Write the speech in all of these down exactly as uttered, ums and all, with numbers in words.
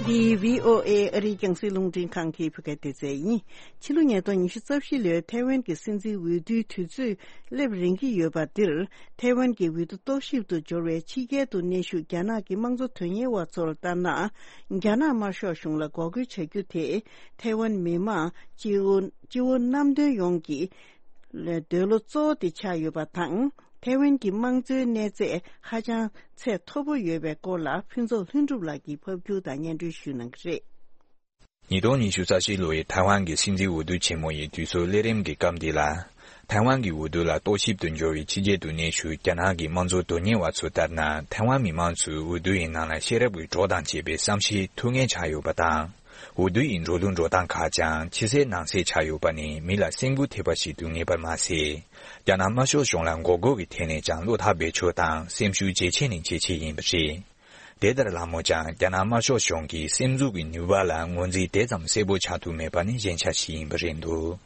འདི་བྷི་ཨོ་ཨེ་ཨ་རིའི་རྒྱང་སྲིང་རླུང་འཕྲིན་ཁང་གི་བོད་སྐད་སྡེ་ཚན་ཡིན། ཕྱི་ལོ་ཉིས་སྟོང་ཉི་ཤུ་རྩ་བཞི་ལོའི་ཐའེ་ཝན་གྱི་སྲིད་འཛིན་འོས་བསྡུའི་དུས་ཚོད་སླེབས་རན་གྱི་ཡོད་པ་འདིར། ཐའེ་ཝན་གྱི་འོས་བསྡུ་རྟོག་ཞིབ་ཏུ་འབྱོར་བའི་ཕྱི་རྒྱལ་དུ་གནས་བཞུགས་རྒྱ་ནག་གི་དམངས་གཙོ་དོན་གཉེར་བ་ཚོར་ལྟར་ན། རྒྱ་ནག་དམར་ཤོག་གཞུང་ལ་འགོག་རྒོལ་བྱ་རྒྱུ་དེ། ཐའེ་ཝན་མི་མང་སྤྱི་བོ་སྤྱི་བོ་གནམ་དོན་ཡོངས་ཀྱི་འདོད་བློ་གཙོ་བོ་དེ་ཆགས་ཡོད་པ་དང་། ཐའེ་ཝན་གྱི་དམངས་གཙོའི་གནས་ཚད་ཧ་ཅང་ཚད་མཐོ་པོ་ཡོད་པའི་སྐོར་ལ་ཕུན་ཚོགས་ལྷུན་གྲུབ་ལགས་ཀྱིས་ཕབ་སྒྱུར་དང་སྙན་སྒྲོན་ཞུས་གནང་གི་རེད། ཉིས་སྟོང་ཉི་ཤུ་རྩ་བཞི་ལོའི་ཐའེ་ཝན་གྱི་སྲིད་འཛིན་འོས་བསྡུ་ཆེན་མོ་ཡི་དུས་ཚོད་སླེབས་རན་གྱི་སྐབས་འདི་ལ། ཐའེ་ཝན་གྱི་འོས་བསྡུ་ལ་རྟོག་ཞིབ་ཏུ་འབྱོར་བའི་ཕྱི་རྒྱལ་དུ་གནས་བཞུགས་རྒྱ་ནག་གི་དམངས་གཙོ་དོན་གཉེར་བ་ཚོ་ལྟར་ན། ཐའེ་ཝན་མི་མང་ཚོས་འོས་བསྡུ་ཡི་ནང་ལ་ཤེས་རབ་ཀྱི་གྲོགས་དང་བཅས་པའི་བསམ་ཤེས་ཐུབ་མཁན་ཆགས་ཡོད་པ་དང་། འོས་བསྡུ་ཡི་འགྲོ་ལུགས་འགྲོ་སྟངས་ཁག་ཀྱང་ཕྱི་གསལ་ནང་གསལ་ཆགས་ཡོད་པ་ནི་མི་ལ་སེམས་འགུལ་ཐེབས་པ་ཞིག་ཏུ་ངེས་པར་མ་ཟད། རྒྱ་ནག་དམར་ཤོག་གཞུང་ལ་འགོག་རྒོལ་གྱི་ཐད་ནས་ཀྱང་བློ་ཐག་རྦད་ཆོད་དང་སེམས་ཤུགས་ཇེ་ཆེ་ནས་ཇེ་ཆེ་ཡིན་པ་རེད། དེ་ལྟར་ལྷ་མོ་ཀྱང་རྒྱ་ནག་དམར་ཤོག་གཞུང་གི་སེམས་འཛུགས་ཀྱི་ནུས་པ་ལ་ངོས་འཛིན་དེ་ཙམ་གསལ་པོ་ཆགས་ཐུབ་མེད་པ་ནི་ཞན་ཆ་ཞིག་ཡིན་པ་རེད་འདུག་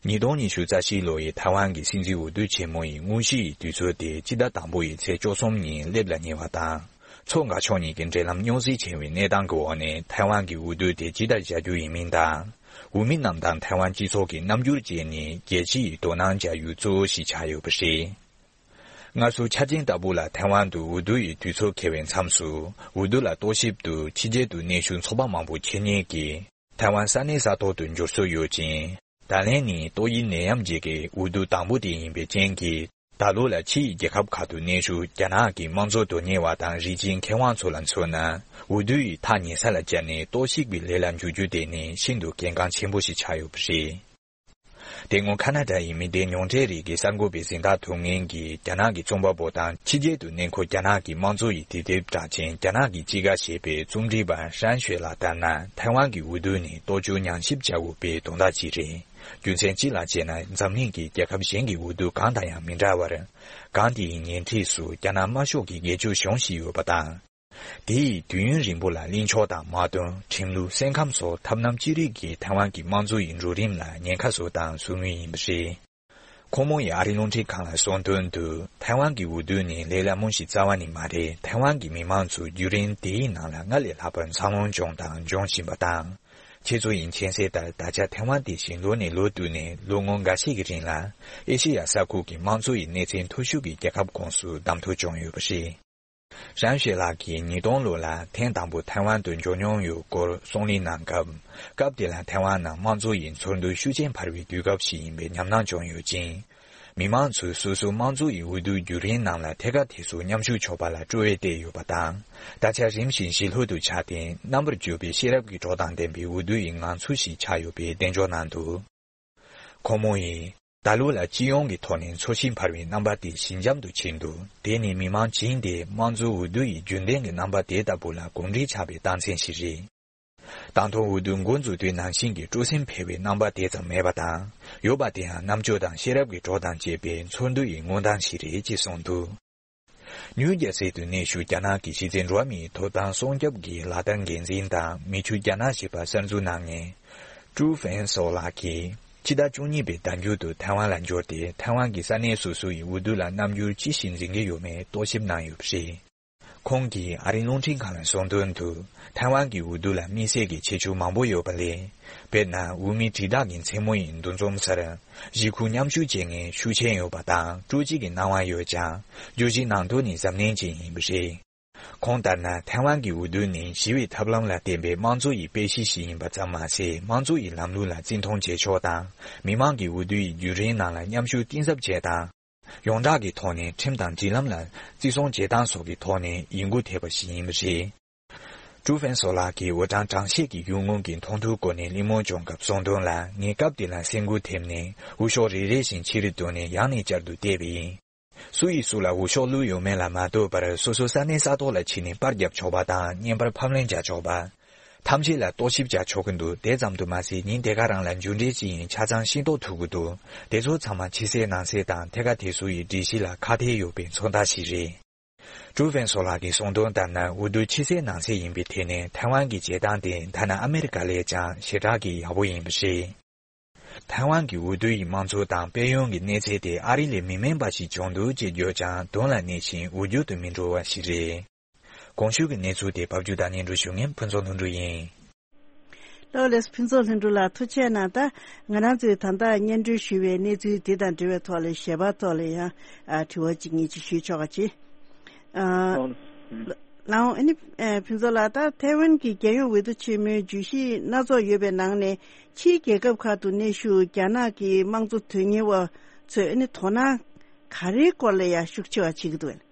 ཉིས་སྟོང་ཉི་ཤུ་རྩ་བཞི་ལོ་ཡི་ཐའེ་ཝན་གྱི་སྲིད་འཛིན་འོས་བསྡུ་ཆེན་མོ་ཡི་དངོས་གཞི་ཡི་དུས་ཚོད་དེ་སྤྱི་ཟླ་དང་པོ་ཡི་ཚེས་བཅུ་གསུམ་ཉིན་སླེབས་ལ་ཉེ་བ་དང་། མཚོ་འགག་ཕྱོགས་གཉིས་ཀྱི་འབྲེལ་ལམ་རྙོག་ཟིང་ཆེ་བའི་གནས་སྟངས་ཀྱི་འོག་ནས་ཐའེ་ཝན་གྱི་འོས་བསྡུ་དེ་ཇི་ལྟར་བྱ་རྒྱུ་ཡིན་མིན་དང་། འོས་མི་རྣམས་དང་ཐའེ་ཝན་སྤྱི་ཚོགས་ཀྱི་རྣམ་འགྱུར་བཅས་ནི་རྒྱལ་སྤྱི་ཡི་དོ་སྣང་བྱ་ཡུལ་གཙོ་བོ་ཞིག་ཆགས་ཡོད་པ་རེད། སྔར་སྲོལ་ཆ་ཅན་ལྟ་བུ་ལ་ཐའེ་ཝན་དུ་འོས་བསྡུ་ཡི་དུས་ཚོད་འཁེལ་བའི་མཚམས་སུ། འོས་བསྡུ་ལ་རྟོག་ཞིབ་ཏུ་ཕྱི་རྒྱལ་དུ་གནས་བཞུགས་ཚོགས་པ་མང་པོ་འཁྱེར་ཉེན་གྱིས་ཐའེ་ཝན་ས་གནས་ས་ཐོག་ཏུ་འབྱོར་སྲོལ་ཡོད་ཅིང་། ད་ལན་ནི་ཏོག་དབྱིབས་ནད་ཡམས་རྗེས་ཀྱི་འོས་བསྡུ་དང་པོ་དེ་ཡིན་པའི་རྐྱེན་གྱིས། ད་ལོ་ལ་ཕྱི་ཡི་རྒྱལ་ཁབ་ཁག་ཏུ་གནས་བཞུགས་རྒྱ་ནག་གི་དམངས་གཙོ་དོན་གཉེར་བ་དང་རིགས་གཅིག་མཁས་དབང་ཚོ་ལ་མཚོན་ན། འོས་བསྡུ་ཡི་ཐག་ཉེ་ས་ལ་བཅར་ནས་རྟོག་ཞིབ་ཀྱི་ལས་ལ་འཇུག་རྒྱུ་དེ་ནི་ཤིན་ཏུ་གལ་འགངས་ཆེན་པོ་ཞིག་ཆགས་ཡོད་པ་རེད། དེ་སྔོན་ཁ་ན་ཌ་ཡི་མི་སྡེ་ཉུང་གྲས་རིགས་ཀྱི་གསར་འགོད་པའི་གཟེངས་རྟགས་ཐོབ་མཁན་གྱི་རྒྱ་ནག་གི་རྩོམ་པ་པོ་དང་ཕྱི་རྒྱལ་དུ་གནས་འཁོད་རྒྱ་ནག་གི་དམངས་གཙོ་ཡི་དུས་དེབ་གྲགས་ཅན་རྒྱ་ནག་གི་དཔྱིད་ཀ་ཞེས་པའི་རྩོམ་སྒྲིག་པ་ཧྲན་ཤོས་ལགས་ལྟར་ན། ཐའེ་ཝན་གྱི་འོས་བསྡུ་ནི་ལྟོ་ཆུ་ཉམས་ཞིབ་བྱ་དགོས་པའི་དོན་དག་ཅིག་རེད། རྒྱུ་མཚན་གཅིག་ལ་བྱས་ན། འཛམ་གླིང་གི་རྒྱལ་ཁབ་གཞན་གྱི་འོས་བསྡུ་གང་དང་ཡང་མི་འདྲ་བར། སྒང་དེའི་ཉེ་འཁྲིས་སུ་རྒྱ་ནག་དམར་ཤོག་གི་སྒེར་གཅོད་གཞུང་ཞིག་ཡོད་པ་དང་། དེ་ཡིས་དུས་ཡུན་རིང་པོ་ལ་གླེང་ཕྱོགས་དང་། དམག་དོན། ཁྲིམས་ལུགས། སེམས་ཁམས་སོགས་ཐབས་རྣམ་ཅི་རིགས་ཀྱིས་ཐའེ་ཝན་གྱི་དམངས་གཙོ་ཡི་འགྲོ་རིམ་ལ་ཉེན་ཁ་བཟོ་དང་བཟོ་མུས་ཡིན་པ་རེད། ཁོང་མོ་ཡིས་ཨ་རིའི་རླུང་འཕྲིན་ཁང་ལ་གསུངས་དོན་དུ། ཐའེ་ཝན་གྱི་འོས་བསྡུ་ནི་ལས་སླ་མོ་ཞིག་རྩ་བ་ནས་མ་རེད། ཐའེ་ཝན་གྱི་མི་མང་ཚོས་བརྒྱུད་རིམ་དེའི་ནང་ལ་སྔར་ལས་ལྷག་པར་འཚར་ལོངས་བྱུང་དང་འབྱུང་བཞིན་པ་དང་། ཁྱེད་ཚོ་ཡིས་མཁྱེན་གསལ་ལྟར། ད་ཆ་ཐའེ་ཝན་དེ་བཞིན་ལོ་ནས་ལོ་བསྟུད་ནས་ལོ་ངོ་འགའ་ཤས་ཀྱི་རིང་ལ། ཨེ་ཤེ་ཡ་ས་ཁུལ་གྱི་དམངས་གཙོ་ཡི་གནས་ཚད་མཐོ་ཤོས་ཀྱི་རྒྱལ་ཁབ་ཁོངས་སུ་བདམས་ཐོན་བྱུང་ཡོད་པ་རེད། ཧྲན་ཤོས་ལགས་ཀྱིས་ཉིས་སྟོང་ལོ་ལ་ཐེངས་དང་པོ་ཐའེ་ཝན་དུ་འབྱོར་མྱོང་ཡོད་སྐོར་གསུང་གླེང་གནང་སྐབས། སྐབས་དེ་ལ་ཐའེ་ཝན་ནང་དམངས་གཙོ་ཡི་ཚོར་འདུ་ཤུགས་ཆེན་འཕར་བའི་དུས་སྐབས་ཤིག་ཡིན་པའི་ཉམས་སྣང་བྱུང་ཡོད་ཅིང་། མི་མང་ཚོས་སོ་སོའི་དམངས་གཙོ་ཡི་འོས་བསྡུ་བརྒྱུད་རིམ་ནང་ལ་ཐད་ཀར་དེ་ཚོར་མཉམ་ཞུགས་ཆོག་པ་ལ་སྤྲོ་བས་བརྟས་ཡོད་པ་དང་། ད་ཆ་རིམ་བཞིན་ཞི་ལྷོད་དུ་ཆགས་ཏེ། རྣམ་པར་འགྱུར་བའི་ཤེས་རབ་ཀྱི་གྲོགས་དང་ལྡན་པའི་འོས་བསྡུ་ཡི་ངང་ཚུལ་ཞིག་ཆགས་ཡོད་པའི་གདེང་འཇོག་གནང་འདུག་ཁོང་མོ་ཡིས། ད་ལོ་ལ་སྤྱི་ཡོངས་ཀྱི་ཐོག་ནས་ཚོར་ཤེས་འཕར་བའི་རྣམ་པ་དེ་ཞི་འཇམ་དུ་ཕྱིན་འདུག་དེ་ནི་མི་མང་བྱིངས་དེ་དམངས་གཙོའི་འོས་བསྡུ་ཡི་རྒྱུན་ལྡན་གྱི་རྣམ་པ་དེ་ལྟ་བུ་ལ་གོམས་འདྲིས་ཆགས་པའི་རྟགས་མཚན་ཞིག་རེད། ད་དུང་འོས་བསྡུ་འགོ་འཛུགས་དུས་ནང་བཞིན་གྱི་སྤྲོ་སེམས་འཕེལ་བའི་རྣམ་པ་དེ་ཙམ་མེད་པ་དང་། ཡོད་པ་དེའང་རྣམ་དཔྱོད་དང་ཤེས་རབ་ཀྱི་གྲོགས་དང་བཅས་པའི་ཚོར་འདུ་ཡི་མངོན་སྟངས་ཤིག་རེད་ཅེས་གསུངས་འདུག་ནིའུ་ཇར་སི་དུ་གནས་བཞུགས་རྒྱ་ནག་གི་གཞི་རྩའི་འགྲོ་བ་མིའི་ཐོབ་ཐང་སྲུང་སྐྱོབ་ཀྱི་ལག་བསྟར་འགན་འཛིན་དང་མི་ཆོས་རྒྱ་ནག་ཞེས་པ་གསར་འཛུགས་གནང་མཁན། ཀྲུའུ་ཧྥེང་སོ་ལགས་ཀྱིས། ཕྱི་ཟླ་བཅུ་གཉིས་པའི་ཟླ་མཇུག་ཏུ་ཐའེ་ཝན་ལ་འབྱོར་ཏེ། ཐའེ་ཝན་གྱི་ས་གནས་སོ་སོ་ཡི་འོས་བསྡུ་ལ་རྣམ་འགྱུར་ཅི་ཞིག་འཛིན་གྱི་ཡོད་མེད་རྟོག་ཞིབ་གནང་ཡོད་པ་རེད། ཁོང་གིས་ཨ་རིའི་རླུང་འཕྲིན་ཁང་ལ་གསུངས་དོན་དུ། ཐའེ་ཝན་གྱི་འོས་བསྡུ་ལ་དམིགས་བསལ་གྱི་ཁྱད་ཆོས་མང་པོ་ཡོད་པ་ལས། དཔེར་ན། འོས་མི་དྲིལ་བསྒྲགས་ཀྱི་མཚན་མོ་ཡི་འདུ་འཛོམས་སར། གཞིས་ཁུངས་མཉམ་ཞུགས་བྱེད་མཁན་ཤུགས་ཆེན་ཡོད་པ་དང་། སྤྲོ་སྐྱིད་ཀྱི་སྣང་བ་ཡོད་ཀྱང་། བརྗོད་གཞི་ནང་དོན་ནི་གཟབ་ནན་ཅན་ཡིན་པ་རེད། ཁོང་ལྟར་ན། ཐའེ་ཝན་གྱི་འོས་བསྡུ་ནི་ཞི་བའི་ཐབས་ལམ་ལ་བརྟེན་པའི་དམངས་གཙོ་ཡི་དཔེ་གཞི་ཞིག་ཡིན་པ་ཙམ་མ་ཟད། དམངས་གཙོ་ཡི་ལམ་ལུགས་ལ་བརྩི་མཐོང་བྱེད་ཕྱོགས་དང་། མི་མང་གི་འོས་བསྡུ་ཡི་བརྒྱུད་རིམ་ནང་ལ་མཉམ་ཞུགས་གཏིང་ཟབ་བྱེད་སྟངས། ཡོངས་གྲགས་ཀྱི་ཐོག་ནས་ཁྲིམས་དང་སྒྲིག་ལམ་ལ་བརྩི་སྲུང་བྱེད་སྟངས་སོགས་ཀྱི་ཐོག་ནས་ཡིད་འགུལ་ཐེབས་པ་ཞིག་ཡིན་པ་རེད། ཀྲུའུ་ཧྥེང་སོ་ལགས་ཀྱིས་འོས་གྲངས་གྲངས་བཤེར་གྱི་ཡུལ་དངོས་ཀྱི་མཐོང་ཐོས་སྐོར་ནས་གླེང་མོལ་བྱུང་སྐབས་གསུངས་དོན་ལ། ངས་སྐབས་དེ་ལ་སེམས་འགུལ་ཐེབས་ནས། འོས་ཤོག་རེ་རེ་བཞིན་ཕྱིར་བསྡུས་ནས་ཡང་ནས་བསྐྱར་དུ་བལྟས་པ་ཡིན། སུ་ཡིས་སུ་ལ་འོས་ཤོག་བླུགས་ཡོད་མེད་ལ་མ་ལྟོས་པར། སོ་སོའི་ས་གནས་ས་ཐོག་ལ་ཕྱིན་ནས་པར་བརྒྱབ་ཆོག་པ་དང་། བརྙན་པར་ཕབ་ལེན་བྱ་ཆོག་པ། ཐམས་ཅད་ལ་རྟོག་ཞིབ་བྱ་ཆོག་གི་འདུག་དེ་ཙམ་དུ་མ་ཟད། ཉིན་དེ་ག་རང་ལ་འགྱུར་འགྲོས་ཅི་ཡིན་ཆ་ཚང་ཤེས་རྟོགས་ཐུབ་ཀྱི་འདུག་དེ་ཚོ་ཚང་མ་ཕྱི་གསལ་ནང་གསལ་དང་། ཐད་ཀར་དེ་ཚོ་ཡི་སྒྲིག་གཞི་ལ་ཁག་ཐེག་ཡོད་པའི་མཚོན་རྟགས་ཤིག་རེད། ཀྲུའུ་ཧྥེང་སོ་ལགས་ཀྱིས་གསུངས་དོན་ལྟར་ན། འོས་བསྡུ་ཕྱི་གསལ་ནང་གསལ་ཡིན་པའི་ཐད་ནས། ཐའེ་ཝན་གྱི་བྱེད་སྟངས་དེ་ཐ་ན་ཨ་མེ་རི་ཀ་ལས་ཀྱང་ཞེ་དྲག་གི་ཡག་པོ་ཡིན་པ་རེད། ཐའེ་ཝན་གྱི་འོས་བསྡུ་ཡི་དམངས་གཙོ་དང་དཔལ་ཡོན་གྱི་གནས་ཚད་དེ་ཨ་རི་ལས་མི་དམན་པ་ཞིག་བྱུང་འདུག་ཅེས་བརྗོད་ཀྱང་། དོན་ལ་གནས་ཤིང་འོས་སྦྱོར་དུ་མི་འགྲོ་བ་ཞིག་རེད། གོང་ཞུས་ཀྱི་གནས་ཚུལ་དེ་ཕབ་བསྒྱུར་དང་སྙན་སྒྲོན་ཞུ་མཁན་ཕུན་ཚོགས་ལྷུན་གྲུབ་ཡིན། ལགས་ལགས། ཕུན་ཚོགས་ལྷུན་གྲུབ་ལགས་ཐུགས་རྗེ་གནང་། ད་ང་རང་ཚོས་ད་ལྟ་སྙན་སྒྲོན་ཞུས་པའི་གནས་ཚུལ་འདི་དང་འབྲེལ་བའི་ཐོག་ལ་ཞལ་པར་ཐོག་ལ་ཡང་ཨ་དྲི་བ་གཅིག་གཉིས་ཅིག་ཞུས་ཆོག་ག་ཅི། ཨ་ལགས་ཨ་ནི་ཨ་ཕུན་ཚོགས་ལགས། ད་ཐའེ་ཝན་གྱི་རྒྱལ་ཡོངས་འོས་བསྡུ་ཆེན་མོའི་བརྗོད་གཞི་སྣ་ཚོགས་ཡོད་པའི་ནང་ནས་ཕྱིའི་རྒྱལ་ཁབ་ཁག་ཏུ་གནས་བཞུགས་རྒྱ་ནག་གི་དམངས་གཙོ་དོན་གཉེར་བ་ཚོས་ཨ་ནི་དོ་སྣང་ག་རེའི་སྐོར་ལ་ཡང་ཤུགས་ཆེ་བ་བྱེད་ཀྱི་འདུག་གས།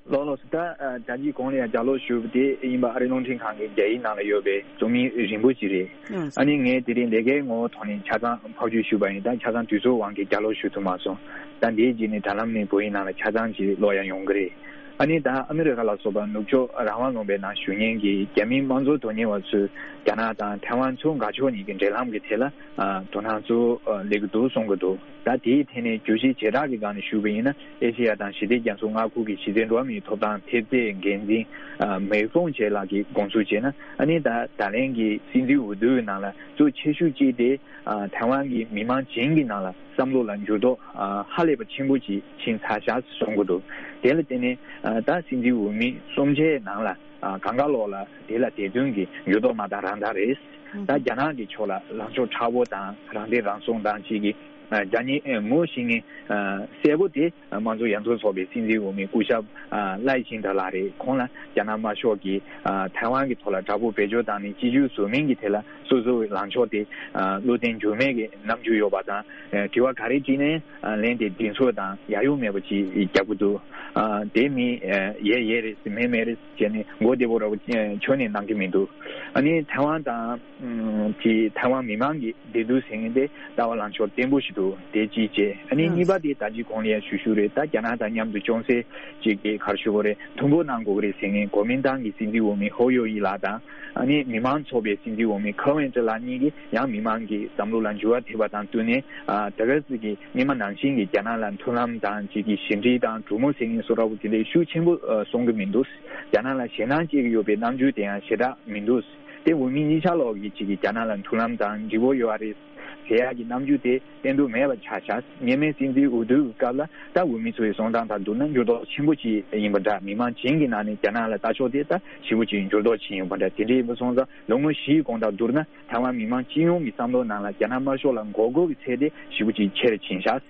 ལགས་ལགས་སོ། ད་ཨ་ད་ཅི་གོང་ལ་ཡང་ལྗགས་ཀློག་ཞུས་པ་དེ་ཡིན་པ་ཨ་རིའི་རླུང་འཕྲིན་ཁང་གི་རྒྱ་ཡིག་ནང་ལ་ཡོད་པའི་རྩོམ་ཡིག་རིང་པོ་ཅིག་རེད། ཨ་ནི་ངས་དེ་རིང་ལས་ཀའི་ངོ་བོ་ཐོག་ནས་ཆ་ཚང་ཕབ་བསྒྱུར་ཞུས་པ་ཡིན། ད་ཆ་ཚང་དུས་ཚོད་དབང་གིས་ལྗགས་ཀློག་ཞུ་ཐུབ་མ་སོང་། ད་འདིའི་རྗེས་ནས་དྲ་ལམ་ནས་བོད་ཡིག་ནང་ལ་ཆ་ཚང་ཅིག་ཀློག་ཡ་ཡོང་གི་རེད། ཨ་ནི་ད་ཨ་མི་རི་ཁ་ལ་སོགས་པ་ནུབ་ཕྱོགས་རང་དབང་ལུང་པའི་ནང་བཞུགས་མཁན་གྱི་རྒྱ་མིའི་དམངས་གཙོ་དོན་གཉེར་བ་ཚོས་རྒྱ་ནག་དང་ཐའེ་ཝན་ཚོ་འགག་ཕྱོགས་གཉིས་ཀྱི་འབྲེལ་ལམ་གྱི་ཐད་ལ་ཨ་དོ་སྣང་གཙོ་བོ་ཨ་སླེབས་ཀྱི་འདུག་གསུང་གི་འདུག་ད་དེའི་ཐད་ནས་བརྗོད་གཞི་བྱེ་བྲག་གི་སྒང་ནས་ཞུས་པ་ཡིན་ན། ཨེ་ཤེ་ཡ་དང་ཞི་བདེ་རྒྱ་མཚོ་མངའ་ཁུལ་གྱི་སྤྱི་ཚོགས་འགྲོ་བ་མིའི་ཐོབ་ཐང་ཐེབས་རྩའི་འགན་འཛིན་ཨ་མེག་ཧྥོང་ཆེ་ལགས་ཀྱིས་དགོངས་ཚུལ་བྱས་ན། ཨ་ནི་ད་ད་ལན་གྱི་སྲིད་འཛིན་འོས་བསྡུའི་ནང་ལ་གཙོ་ཆེ་ཤོས་གཅིག་དེ་ཨ་ཐའེ་ཝན་གྱི་མི་མང་བྱིངས་ཀྱི་ནང་ལ་བསམ་བློ་ལ་འགྱུར་ལྡོག་ཨ་ཧ་ལས་པ་ཆེན་པོ་ཅིག་ཕྱིན་ཚར་ཤག་གསུང་གི་འདུག་དེ་ལ་བརྟེན་ནས་ཨ་ད་སྲིད་འཛིན་འོས་མི་གསུམ་ཆའི་ནང་ལ་ཨ་གང་ག་ལོག་ལ་དེ་ལ་དེ་དོན་གྱི་འགྱུར་ལྡོག་མ་དང་རང་དག་རེད། ད་རྒྱ་ནག་གི་ཕྱོགས་ལ་ལངས་ཕྱོགས་མཁྲེགས་པོ་དང་རང་བདེན་རང་སྲུང་དང་བཅས་ཀྱི་ཨ་རྒྱ་ནག་ངོ་ཤེས་མཁན་ཨ་གསལ་པོ་དེ་དམངས་གཙོ་ཡར་ཐོན་ཚོགས་པའི་སྲིད་འཛིན་འོས་མི་སྐུ་ཞབས་ཨ་ལའེ་ཆིང་ཏེ་ལགས་རེད། ཁོང་ལ་རྒྱ་ནག་དམར་ཤོག་གིས་ཨ་ཐའེ་ཝན་གྱི་ཐོག་ལ་དྲག་པོ་བེད་སྤྱོད་བཏང་ནས་གཅིག་གྱུར་བཟོ་མིན་གྱི་ཐད་ལ་སོ་སོའི་ལངས་ཕྱོགས་དེ་ཨ་བློ་བརྟན་འགྱུར་མེད་ཀྱི་རྣམ་འགྱུར་ཡོད་པ་དང་། ཨ་དྲི་བ་ག་རེ་དྲིས་ནའི་ཨ་ལན་དེ་གདེང་ཚོད་དང་ཡ་ཡོ་མེད་པ་ཅིག་རྒྱག་གི་འདུག་ཨ་དེ་མི་ཨ་ཡས་ཡས་རེད་མེད་མེད་རེད་བྱས་ནས་མགོ་བདེ་པོ་ར་བོ་ཨ་ཁྱོན་ནས་གནང་གི་མི་འདུག་ཨ་ནི་ཐའེ་ཝན་དང་ཨ་དེ་ཐའེ་ཝན་མི་མང་གི་བདེ་སྡུག་ཟེར་མཁན་དེ་ལྟ་བ་ལངས་ཕྱོགས་བརྟན་པོ་ཞིག་འདུག་དེ་གཅིག་བྱས། ཨ་ནི་གཉིས་པ་དེ་ད་ཅི་གོང་ལ་ཡང་ཞུ་ཞུ་རེད། ད་རྒྱ་ནག་དང་མཉམ་དུ་ཅུང་ཟད་ཅིག་གི་ག་རེ་ཞུ་དགོས་རེད། མཐུན་པོ་གནང་དགོས་རེད་ཟེར་མཁན་གོ་མིན་ཏང་གི་སྲིད་འཛིན་འོས་མི་ཧོ་ཡོ་ཡི་ལགས་དང་། ཨ་ནི་མི་མང་ཚོགས་པའི་སྲིད་འཛིན་འོས་མི་ཁ་ཝན་ཀྲི་ལགས་གཉིས་ཀྱིས་ཡང་མི་མང་གི་བསམ་བློ་ལ་འགྱུར་བ་ཐེབས་པ་དང་བསྟུན་ནས། ཨ་ད་ག་ཟེ་གི་སྔོན་མ་ནང་བཞིན་གྱི་རྒྱ་ནག་ལ་མཐུན་ལམ་དང་ཅིག་གི་ཞི་འགྲིག་དང་གྲོས་མོལ་ཟེར་མཁན་བཟོ་འདྲ་བོ་དེ་འདྲའི་ཤུགས་ཆེན་པོ་ཨ་གསུང་གི་མི་འདུག་རྒྱ་ནག་ལ་ཞེད་སྣང་སྐྱེ་གི་ཡོད་པའི་རྣམ་འགྱུར་དེ་ཡང་ཞེ་དྲག་མི་འདུག་དེ་འོས་མི་གཉིས་ཆ་ལོག་གིས་ཅིག་གི་རྒྱ་ནག་ལ་མཐུན་ལམ་དང་འགྲིག་པོ་ཡོད་རེད་ཟེར་ཡག་གི་རྣམ་འགྱུར་དེ་བསྟན་འདུག་མེད་པ་ཆགས་ཤག་སྔོན་མའི་སྲིད་འཛིན་འོས་བསྡུའི་སྐབས་ལ་ད་འོས་མི་ཚོའི་གསུང་སྟངས་དང་བསྡུར་ན་འགྱུར་ལྡོག་ཆེན་པོ་ཅིག་ཡིན་པ་འདྲ། མི་མང་བྱིངས་ཀྱི་ནང་ནས་རྒྱ་ནག་ལ་ལྟ་ཕྱོགས་དེ་ད་ཞེ་པོ་ཅིག་འགྱུར་ལྡོག་ཕྱིན་ཡོད་པ་འདྲ། དེ་འདྲ་ཡིན་པ་སོང་ཙང་ལོ་ངོ་བཞིའི་གོང་དང་བསྡུར་ན་ཐའེ་ཝན་མི་མང་སྤྱི་ཡོངས་ཀྱི་བསམ་བློ་ནང་ལ་རྒྱ་ནག་དམར་ཤོག་ལ་མགོ་སྐོར་གྱི་ཚད་དེ་ཞེ་པོ་ཅིག་ཆེ་རུ་ཕྱིན་ཤག་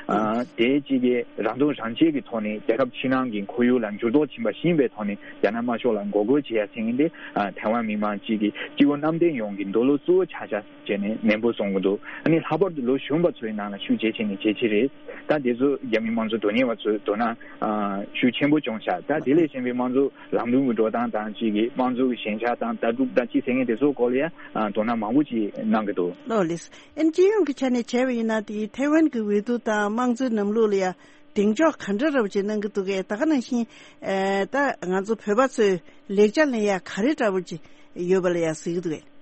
ཨ་དེ་གཅིག་གི་རང་དོན་རང་གཅེས་ཀྱི་ཐོག་ནས་རྒྱལ་ཁབ་ཕྱི་ནང་གི་ཁོར་ཡུག་ལ་འགྱུར་ལྡོག་ཕྱིན་པ་ཤེས་པའི་ཐོག་ནས་རྒྱ་ནག་དམར་ཤོག་ལ་མགོ་སྐོར་བྱེད་ཡ་ཟེར་མཁན་དེ་ཨ་ཐའེ་ཝན་མི་མང་གཅིག་གི་སྤྱི་བོ་གནམ་བསྟན་ཡོངས་ཀྱི་འདོད་བློ་གཙོ་བོ་ཆགས་ཤག་བྱས་ནས་ནན་པོ་གསུང་གི་འདུག་ཨ་ནི་ལྷག་པར་དུ་ལོ་གཞོན་པ་ཚོའི་ནང་ལ་ཤུགས་ཇེ་ཆེ་ནས་ཇེ་ཆེ་རེད། ད་དེ་ཚོ་རྒྱ་མི་དམངས་གཙོ་དོན་གཉེར་བ་ཚོས་དོ་སྣང་ཨ་ཤུགས་ཆེན་པོ་བྱུང་ཤག་ད་དེ་ལས་གཞན་པའི་དམངས་གཙོ་ལམ་ལུགས་ཀྱི་འགྲོ་སྟངས་དང་གཅིག་གི་དམངས་གཙོ་གི་ཞན་ཆ་དང་ལྟ་གྲུབ་དང་གཅིག་ཟེར་མཁན་དེ་ཚོའི་སྐོར་ལ་ཡང་ཨ་དོ་སྣང་མང་པོ་ཅིག་གནང་གི་འདུག་ལགས་ལགས། ཨན་སྤྱི་ཡོངས་ཀྱི་ཆ་ནས་བྱས་པ་ཡིན་ན་དེ་ཐའེ་ཝན་གྱི་འོས་བསྡུ་དང་དམངས་གཙོའི་ལམ་ལུགས་ལ་ཡང་གདེང་འཇོག་ག་འདྲ་འདྲ་པོ་ཅིག་གནང་གི་འདུག་གས། ད་ག་ནང་བཞིན་ཨེ་ད་ང་ཚོ་བོད་པ་ཚོས་ལེགས་ཆ་ལེན་ཡ་ག་རེ་འདྲ་པོ་ཅིག་ཡོད་པ་ལ་ཡང་གཟིགས་ཀྱི་འདུག་གས།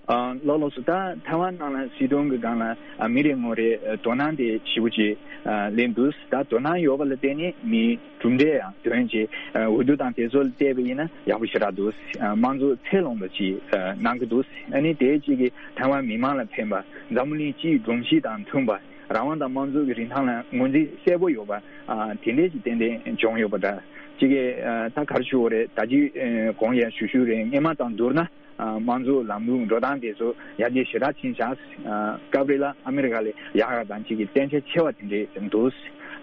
ཨ་ལགས་ལགས་སོ། ད་ཐའེ་ཝན་ནང་ལ་སྲིད་དོན་གྱི་སྒང་ལ་ཨ་མི་རེ་ངོ་རེ་ཨ་དོ་སྣང་དེ་ཞེ་པོ་ཅིག་ཨ་སླེབས་འདུག་ད་དོ་སྣང་ཡོད་པ་ལ་བརྟེན་ནས་མིའི་གྲུབ་འབྲས་ཡང་ཐོན་ཅིག་ཨ་འོས་བསྡུ་དང་དེ་ཚོ་ལ་བལྟས་པ་ཡིན་ན་ཡག་པོ་ཞེ་དྲག་འདུག་ཨ་དམངས་གཙོ་ཚད་ལོངས་པ་ཅིག་ཨ་གནང་གི་འདུག་ཨ་ནི་དེ་གཅིག་གིས་ཐའེ་ཝན་མི་མང་ལ་ཕན་པ། འཛམ་བུ་གླིང་སྤྱིའི་སྒྲོམ་གཞི་དང་མཐུན་པ། རང་དབང་དང་དམངས་གཙོ་གི་རིན་ཐང་ལ་ངོས་འཛིན་གསལ་པོ་ཡོད་པ། ཨ་དེ་འདྲས་ཅིག་ཏན་ཏན་བྱུང་ཡོད་པ་འདྲ། གཅིག་གིས་ཨ་ད་ག་རེ་ཞུ་དགོས་རེད། ད་ཅི་ཨ་གོང་ཡང་ཞུ་ཞུ་རེད། སྔོན་མ་དང་བསྡུར་ན་ཨ་དམངས་གཙོ་ལམ་ལུགས་འགྲོ་སྟངས་དེ་ཚོ་ཡར་རྒྱས་ཞེ་དྲག་ཕྱིན་ཤག་ཨ་སྐབས་རེ་ལ་ཨ་མི་རི་ཀ་ལས་ཡག་ཡག་དང་གཅིག་གིས་བརྟན་ཆ་ཆེ་བ་དེ་འདྲས་འདུག་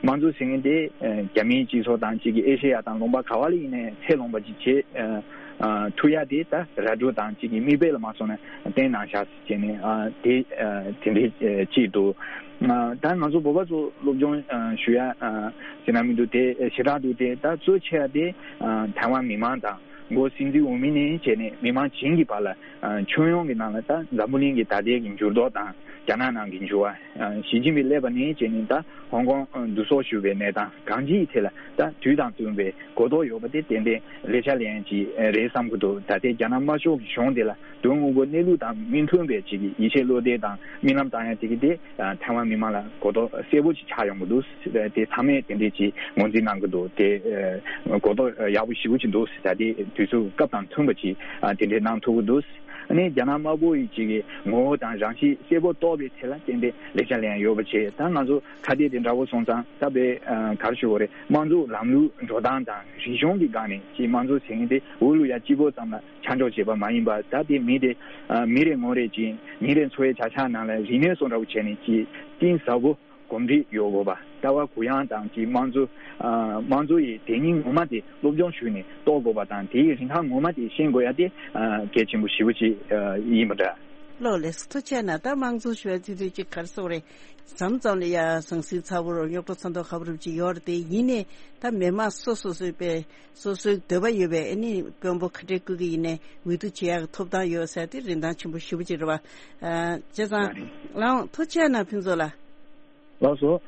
དམངས་གཙོ་ཟེར་མཁན་དེ་ཨ་རྒྱ་མིའི་སྤྱི་ཚོགས་དང་གཅིག་གིས་ཨེ་ཤེ་ཡ་དང་ལུང་པ་ག་བ་ལ་ཡིན་ནའི་ཚད་ལོངས་པ་ཅིག་བྱེད་ཨ་ཨ་ཐུབ་ཡ་དེ་ད་ར་སྤྲོད་དང་གཅིག་གིས་མིག་དཔེ་ལ་མ་སོང་ན་བསྟན་གནང་ཤག་བྱས་ནས་ཨ་དེ་ཨ་དེ་འདྲའི་ཨ་གཅིག་འདུག་ཨ་ད་ང་ཚོ་བོད་པ་ཚོ་སློབ་སྦྱོང་ཨ་ཞུ་ཡ་ཨ་ཟེར་ན་མི་འདུག་དེ་ཞེ་དྲག་འདུག་དེ་ད་གཙོ་ཆེ་བ་དེ་ཨ་ཐའེ་ཝན་མི་མང་དང་མགོ་སྲིད་འཛིན་འོས་མི་ནས་བྱས་ནས་མི་མང་བྱིངས་ཀྱི་བར་ལ་ཨ་ཁྱོན་ཡོངས་ཀྱི་ནང་ལ་ད་འཛམ་བུ་གླིང་གི་ད་ལྟའི་གི་འགྱུར་ལྡོག་དང་རྒྱ་ནག་ནང་གི་འགྱུར་བ། ཨ་ཞི་ཅིན་ཕིང་སླེབས་པ་ནས་བྱས་ནས་ད་ཧོང་ཀོང་ཨ་བསྡུ་གསོག་ཞུ་བའི་གནས་སྟངས་གང་ཅིའི་ཐད་ལ་ད་དུས་དང་བསྟུན་པའི་གོ་རྟོགས་ཡོད་པ་དེ་ཏན་ཏན་ལེགས་ཆ་ལེན་ཡ་ཅིག་རེད་བསམ་གྱི་འདུག་ད་ལྟའི་རྒྱ་ནག་དམར་ཤོག་གི་གཞུང་དེ་ལ་དོན་དངོས་པོ་གནས་ལུགས་དང་མི་མཐུན་པའི་ཅིག་གི་ཡིད་ཆེས་བློ་གཏད་དང་རྨི་ལམ་བཏང་ཡ་དེ་གི་དེ་ཐའེ་ཝན་མི་མང་ལ་གོ་རྟོགས་གསལ་པོ་ཅིག་ཆགས་ཡོང་གི་འདུག་དེ་ཚང་མས་དེ་འདྲས་ཅིག་ངོས་འཛིན་གནང་གི་འདུག་དེ་གོ་རྟོགས་ཡག་པོ་ཞེ་པོ་ཅིག་འདུག་ད་དེ་ དུས་ཚོད་སྐབས་དང་མཐུན་པ་ཅིག་ཨ་དེ་འདྲའི་གནང་ཐུབ་ཀྱི་འདུག་ཨ་ནི་རྒྱ་ནག་དམར་པོ་ཡི་ཅིག་གི་ངོ་བོ་དང་རང་གཤིས་གསལ་པོ་རྟོགས་པའི་ཐད་ལ་ཏན་ཏན་ལེགས་ཆ་ལེན་ཡག་ཡོད་པ་བྱས། ད་ང་ཚོ་ཁ་གཏད་དེ་འདྲ་བོ་སོང་ཙང་ད་དཔེ་ཨ་ག་རེ་ཞུ་དགོས་རེད། དམངས་གཙོ་ལམ་ལུགས་འགྲོ་སྟངས་དང་རིག་གཞུང་གི་སྒང་ནས་ཅིག་དམངས་གཙོ་ཟེར་མཁན་དེ་འོས་བླུག་ཡ་གཅིག་པོ་ཙམ་ལ་ཆ་འཇོག་བྱས་པ་མ་ཡིན་པ། ད་དེ་མི་དེ་ཨ་མི་རེ་ངོ་རེ་ཅིག་ཉིན་རེ་འཚོ་བའི་བྱ་གཞག་ནང་ལ་རིག་གནས་སོགས་འདྲ་བོ་བྱས་ནས་ཅིག་གཏིང་ཟབ་པོ་གོམས་འདྲིས་ཡོད་དགོས་པ། ལྟ་བ་གུ་ཡངས་དང་གི་དམངས་གཙོ་ཨ་དམངས་གཙོ་ཡི་དེ་ཉིད་ངོ་མ་དེ་སློབ་སྦྱོང་ཞུས་ནས་རྟོགས་དགོས་པ་དང་། དེའི་རིན་ཐང་ངོ་མ་དེ་ཤེས་དགོས་ཡ་དེ་ཨ་གལ་ཆེན་པོ་ཞེ་པོ་ཅིག་ཨ་ཡིན་པ་འདྲ། ལགས་ལགས་སོ། ཐུགས་རྗེ་གནང་། ད་དམངས་གཙོ་ཞུ་བའི་དུས་ཚོད་ཅིག་ག་རེ་ཟེར་དགོས་རེད། མཚམས་མཚམས་ལ་ཡ་ཟང་ཟིང་ཚ་བོ་རུ་རྙོག་དྲ་ཚ་མདོག་ཁ་པོ་རུ་ཅིག་ཡོད་རེད། དེ་ཡིན་ནའི་ད་མི་མང་སོ་སོ་སོའི་པའི་སོ་སོའི་འདོད་པ་ཡོད་པའི་ཨ་ནི་དཔོན་པོ་ག་འདྲའི་སྐུ་གི་ཡིན་ནའི་འོས་བསྡུ་བྱེད་ཡག་གི་ཐོབ་ཐང་ཡོད་ཟེར་དེ་རིན་ཐང་ཆེན་པོ་ཞེ་པོ་ཅིག་རེད་བ། ཨ་བྱས་ཙང་ལགས་ལགས་ཐུགས་རྗེ་གནང་ཕུན་ཚོགས་ལགས། ལགས་སོ།